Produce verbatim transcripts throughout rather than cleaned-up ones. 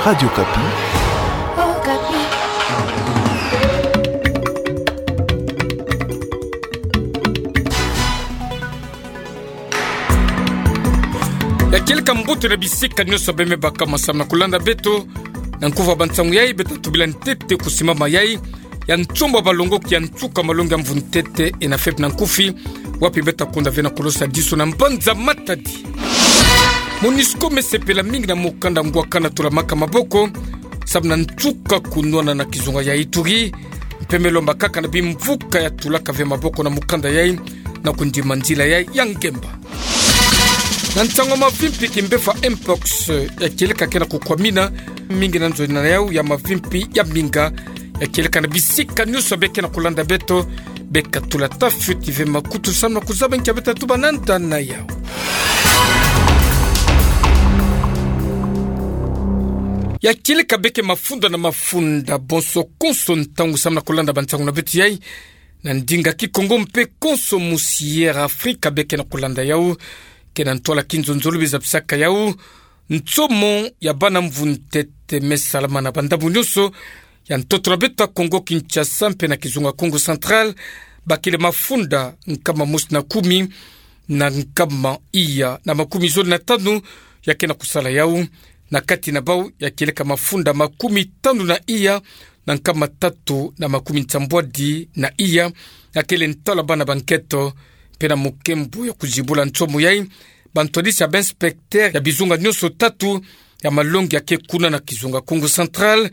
Radio Okapi. Ya kieleka mbote na bisika nyonso bemebaka masamu na kulanda beto. Na nkufi ya bansangu yai, beta tubila ntete kusimama yai ya nsomo ya balongoki ya nsuka malongi ya mvu ntete, ENAFEP na nkufi, wapi beta konda ve na kulosa disu na mbanza Matadi. Monusco mesepela mingi na mokanda ngwa kana tulamaka maboko, samu na nsuka kunwana na kizunga ya Ituri, mpe melomba kaka na bimvuka ya tulaka ve maboko na mokanda yai, na kundima nzila yai ya ngemba. Na nsangu ya mavimpi, kimbefu ya mpox ya kieleka ke na kukwamina mingi na nzo na yau ya mavimpi ya minga ya kieleka na bisika nyonso beke na kulanda beto, beka tula tafioti ve makutu samu na kuzaba nki beta tuba nanda na yau. Ya kieleka beke mafunda na mafunda, bonso konso ntangu samu na kulanda bansangu na beto yai, na ndinga Kikongo mpe konso musi Air Africa beke na kulanda yau, ke na ntwala kinzonzolo biza bisaka yau nsomo ya bana mvu ntete mesalama na bandambu nyonso ya ntoto na beto ya Kongo Kinshasa mpe na kizunga Kongo Central, bakele mafunda nkama mosi na kumi na nkama iya na makumi zole na tanu ya ke na kusala yau. Na kati na bau ya kieleka mafunda makumi tanu na iya na nkama tatu na makumi nsambwadi na iya, ya kele ntwala bana ba nketo. Mpe na mukembo ya kuzibula nsomo yai, bantwadisi ya ba inspecteur ya bizunga nyonso tatu ya malongi ya ke kuna na kizunga Kongo Central,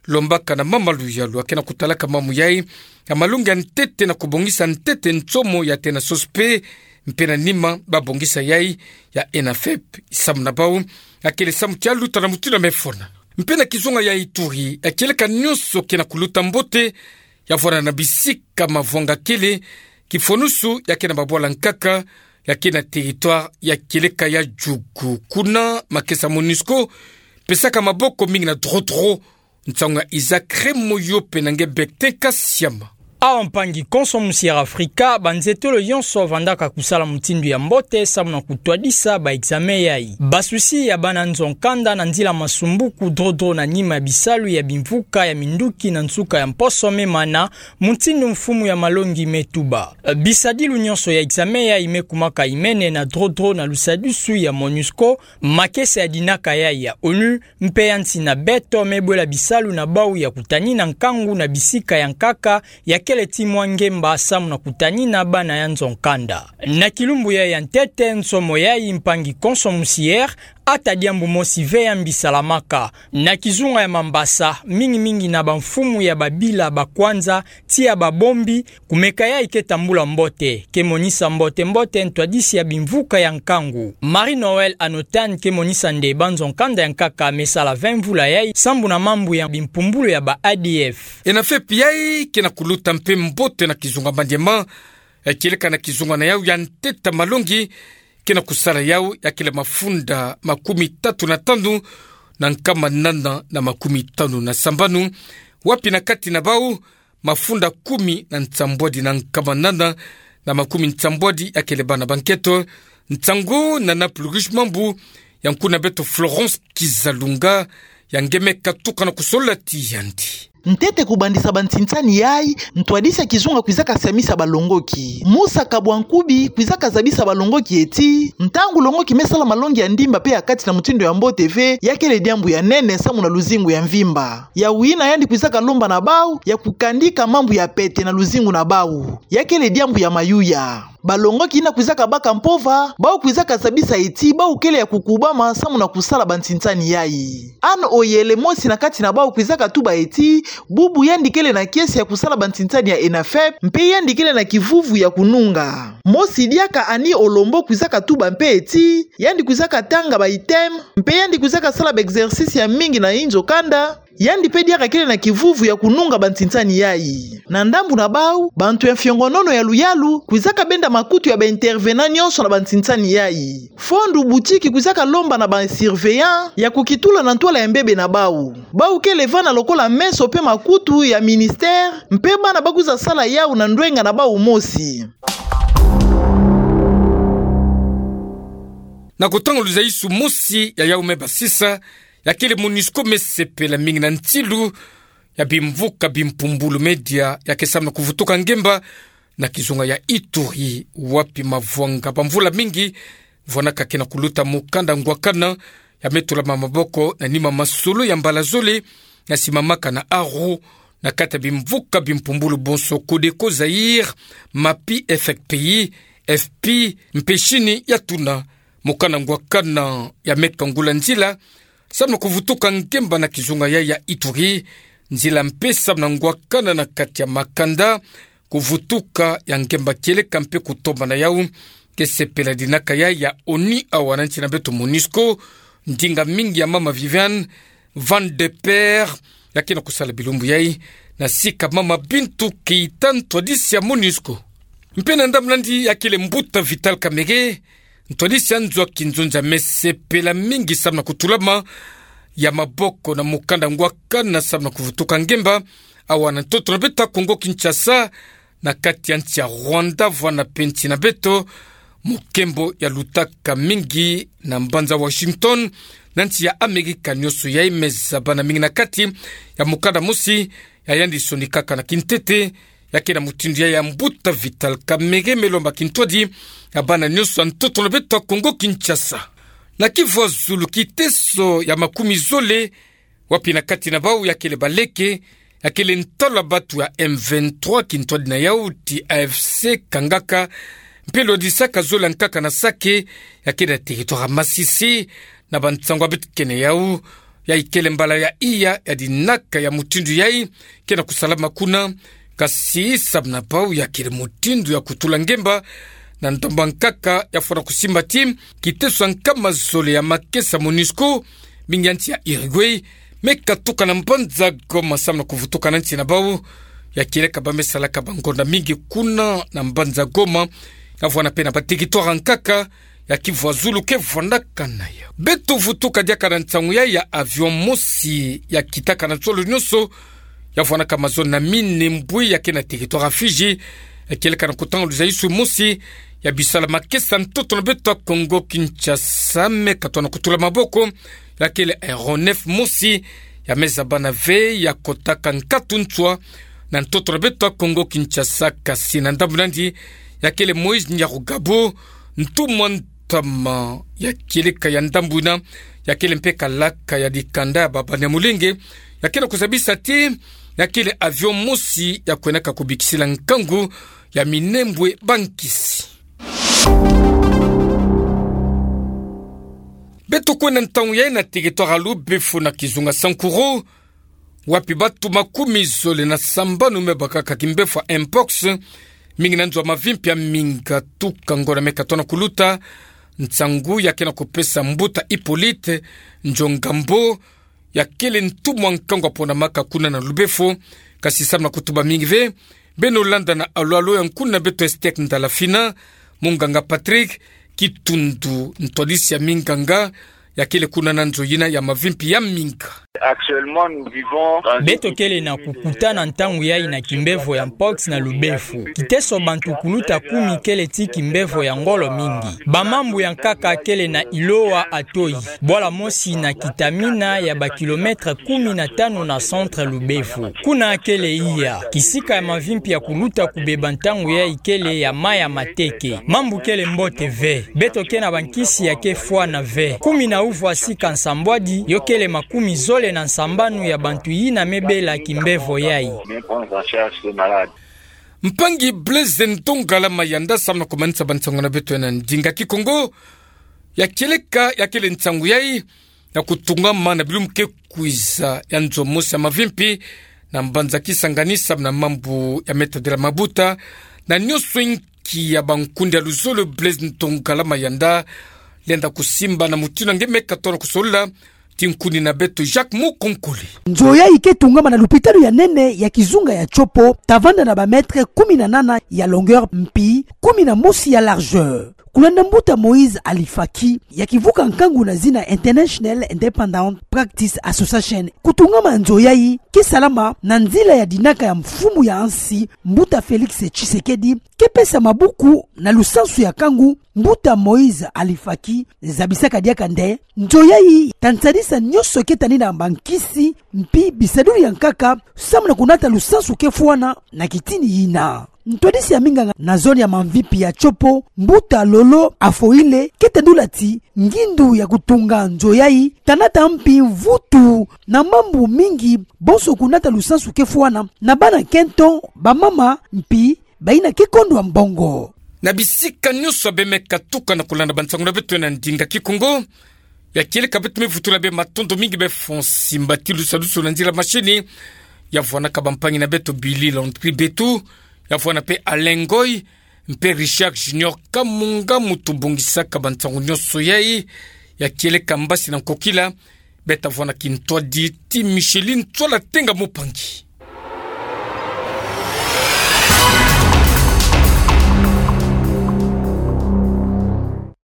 lombaka na mama Luyalu ya ke na kutalaka mamu yai, ya malongi ya ntete na kubongisa ntete nsomo ya tena sosi mpe, mpe na nima babongisa yai ya ENAFEP, samu na bau ya kele samu tia luta na mutindu ya mefona. Mpe na kizunga ya Ituri, ya kieleka nyonso ke na kuluta mbote, ya vwanda na bisika mavwanga kele, kifonusu ya ke na babwala nkaka ya ke na territoire ya kieleka ya Djugu. Kuna makesa Monusco pesaka maboko mingi na drodro. Nsangu ya Isaac Remoyo mpe na nge Bektin Kasiama. Awa mpangi konso musi Air Africa, banzetolo yonso vandaka kusala mutindu ya mbote samu na kutwadisa ba examen yai. Basusi ya bana nzo nkanda na nzila masumbuku drodro na nima ya bisalu ya bimvuka ya minduki na nsuka ya mposo memana, mutindu mfumu ya malongi metuba. Bisadilu nyonso ya examen yai mekumaka imene na drodro na lusadusu ya Monusco, makesa ya dinaka yai ya ONU, mpe ya nsi na beto mebwela bisalu na bau ya kutanina nkangu na bisika ya nkaka ya kele ti mwa ngemba samu na kutanina bana ya nzo nkanda. Na kilumbu yai ya ntete, nsomo yai mpangi konso musi Air, ata diambu mosi ve ya mbi salamaka. Na kizunga ya Mambasa, mingi mingi na bamfumu ya babila ba kwanza, tia babombi, kumeka yai ke tambula mbote, ke monisa mbote mbote ntwadisi ya bimvuka ya nkangu. Marie-Noëlle Anotan ke monisa nde banzo nkanda ya nkaka mesala vingt mvula yai, sambu na mambu ya bimpumbulu ya ba A D F. ENAFEP yai ke na kuluta mpe mbote na kizunga Maniema, ya kieleka na kizunga na yau ya ntete ya malongi ke na kusala yau, ya kele mafunda makumi tatu na tanu na nkama nana na makumi tanu na sambanu, wapi na kati na bau mafunda kumi na nsambwadi na nkama nana na makumi nsambwadi ya kele bana ba nketo. Nsangu na Naples Riche Mambu, ya nkuna beto Florence Kizalunga, ya nge me katuka na kusolola ti yandi. Ntete kubandisa bansinsani yai, ntwadisi ya kizunga kwizaka siamisa balongoki. Musa Kabwankubi kwizaka zabisa balongoki eti, ntangu longoki mesala malongi ya ndimba mpe ya kati na mutindu ya mbote ve, ya kele diambu ya nene samu na luzingu ya mvimba. Ya wina yandi kwizaka lomba na bau ya kukandika mambu ya pete na luzingu na bau, ya kele diambu ya mayuya. Balongoki yina kwizaka baka mpova, bau kwizaka zabisa eti bau kele ya kukubama samu na kusala bansinsani yai. Anne Oyele, mosi na kati na bau, kwizaka tuba eti bubu yandi kele na kiese ya kusala bansinsani ya ENAFEP, mpe yandi kele na kivuvu ya kununga. Mosi diaka, Annie Olombo, kwizaka tuba mpe eti yandi kwizaka tanga ba items, mpe yandi kwizaka sala ba exercices ya mingi na inzo kanda. Yandi mpe diaka kele na kivuvu ya kununga bansinsani yai. Na ndambu na bau, bantu ya mfiongonono ya luyalu kwizaka benda makutu ya ba intervenants nyonso na bansinsani yai. Fondu butiki kwizaka lomba na ba surveillants ya kukitula na ntwala ya mbebe na bau. Bau kele vana lokola meso mpe makutu ya ministère, mpe bana ba kwiza sala yau na ndwenga na bau mosi. Na kutanga luzaisu mosi ya yau me basisa, ya kele MONUSCO me sepela mingi na ntilu ya bimvuka bimpumbulu media ya ke samu na kuvutuka ngemba na kizunga ya Ituri, wapi mavwanga ba mvula mingi vwanaka ke na kuluta mukanda ngwakana ya me tulama maboko na nima masolo ya mbala zole, na simbamaka na Aru, na kati ya bimvuka bimpumbulu bonso Codeco Zaïre, MAPI, F P I, F P I, mpe Chine ya tuna mukanda ngwakana ya me kangula nzila samu na kuvutuka ngemba na kizunga yayi ya Ituri, nzila mpe samu na ngwakana na kati ya makanda, kuvutuka ya ngemba kieleka mpe kutombana yau, ke sepela dinaka yayi ya ONU awa na nsi na beto MONUSCO, ndinga mingi ya mama Viviane Van de Peer ya ke na kusala bilumbu yayi na sika mama Bintou Keita, ntwadisi ya MONUSCO. Mpe na ndambu nandi ya kele mbuta Vital Kamerhe, ntwadisi ya nzo ya kinzonzi me sepela mingi samu na kutulama ya maboko na mukanda ngwakana samu na kuvutuka ngemba awa na ntoto na beto ya Congo Kinshasa, na kati ya nsi ya Rwanda vwa na mpe nsi na beto, mukembo ya lutaka mingi na mbanza Washington, na nsi ya Amerika nyonso yayi me zabana mingi na kati ya mukanda mosi ya yandi sonikaka na kintete, ya ke na mutindu yayi ya mbuta Vital Kamerhe me lomba kintwadi ya bana nyonso ya ntoto na beto ya Congo Kinshasa. Na kivwazulu, kiteso ya makumi zole, wapi na kati na bau ya kele baleke, ya kele ntalu ya batu ya M vingt-trois, kintwadi na yau ti A F C kangaka mpe lwadisaka zola nkaka na Sake, ya ke na territoire ya Masisi, na bansangu ya beto ke na yau, yayi kele mbala ya iya ya dinaka ya mutindu yayi ke na kusalama kuna. Kasi samu na bau ya kele mutindu ya kutula ngemba, na ndomba nkaka ya fwana kusimba ti kiteso ya nkama zole ya makesa MONUSCO, mingi ya nsi ya Uruguay, me katuka na mbanza Goma samu na kuvutuka na nsi na bau, ya kieleka ba me salaka bangonda mingi kuna na mbanza Goma, ya vwana mpe na ba territoire nkaka ya kivwazulu ke vwanaka na yau. Beto vutuka diaka na nsangu yayi ya avion mosi ya kitaka na zolo nyonso, ya vwanaka mazono na Minembwe ya ke na territoire ya Fidji, ya kieleka na kutanga luzayiswi mosi ya bisala makesa ntoto na beto ya Congo Kinshasa, me katwa na kutula maboko, ya kele aéronef mosi ya me zabana ve ya kotaka nkatu nswa na ntoto na beto ya Congo Kinshasa. Kasi na ndambu nandi ya kele Moïse Nyarugabo, ntumwa ntama ya kieleka ya ndambu yina, ya kele mpe kalaka ya dikanda ya ba Banyamulenge, ya ke na kuzabisa ti ya kele avion mosi ya kwenaka kubikisila nkangu ya Minembwe bankisi. Beto kwenda ntangu yayi na territoire ya Lubefo na kizunga Sankuru, wapi batu makumi zole na sambanu me bakaka kimbevo ya mpox, mingi na nzo ya mavimpi ya Minga tuka ngonda me katwa na kuluta. Nsangu ya ke na kupesa mbuta Hippolyte Njongambo, ya kele ntumwa nkangu ya pona maka kuna na Lubefo, kasi samu na kutuba mingi ve, beno landa na alolo ya nkuna beto Estek Ndalafina, munganga Patrick Kitundu, ntwadisi ya minganga, ya kele kuna na nzo yina ya mavimpi ya Minga. Actuellement, nous vivons dans une... Beto kele na kukuta na ntangu yayi na kimbevo ya mpox na Lubefo. Kiteso bantu kuluta kumi kele ti kimbevo ya ngolo mingi. Bamambu ya nkaka kele na Iloa Atoyi, bwala mosi na Kitamina ya ba kilomètre kumi na tanu na centre Lubefo. Kuna kele iya kisika ya mavimpi ya kuluta kubeba ntangu yayi kele ya Maya Mateke. Mambu kele mbote ve. Beto ke na bankisi ya ke fwana ve. Kumi na uvwa sika nsambwadi, yo kele makumi zole na nsambanu ya bantu yina me bela kimbevo yayi. Mpangi Blaise Ntongala Mayanda, samu na kumanisa bansangu na beto na ndinga Kikongo, ya kieleka ya kele nsangu yayi ya kutungama na bilumbu ke kwiza ya nzo mosi ya mavimpi na mbanza Kisangani samu na mambu ya me tadila mabuta, na nyonso inki ya bankundi ya luzolo, Blaise Ntongala Mayanda lenda kusimba na mutindu nge me katwa na kusolola ti nkundi na beto Jacques Mukonkole. Nzo yayi ke tungama na lupitalu ya nene ya kizunga ya Tshopo, ta vanda na ba mètre kumi na nana ya longueur mpi kumi na mosi ya largeur. Kulanda mbuta Moïse Ali Faki, ya kivuka nkangu na zina International Independent Practice Association. Kutungama nzo yayi ke salama na nzila ya dinaka ya mfumu ya nsi, mbuta Félix Tshisekedi, ke pesa mabuku na lusansu ya nkangu. Mbuta Moïse Ali Faki zabisaka diaka nde nzo yayi ta nsadisi Sa nyoso keta ni na bankisi mpi bisaduli ya nkaka, samu na kunata lusansu kefwana na kitini yina. Ntwadisi ya minganga na zone ya Mamvipi ya Tshopo, Mbuta Lolo Afoile, keta ndula ti ngindu ya kutunga nzo yayi, tanata mpi mvutu na mambu mingi, bonso kunata lusansu kefwana na bana nkento, bamama mpi bayina kikondwa mbongo. Na bisika nyoso beme katuka na kulanda bansangu na beto na ndinga Kikongo, ya kieleka beto me vutula bê matondo mingi bê Fonsi Mbati Lusalusu na nzila mashini, ya vwanaka bampangi na beto Billy Landry Betu, ya vwana pe Alain Ngoy, mpe Richard Junior Kamunga muntu bongisaka bansangu nyoso yayi, ya kieleka mbasi na nkokila, beta vwana kintwadi ti Micheline Ntsola Tenga Mupangi.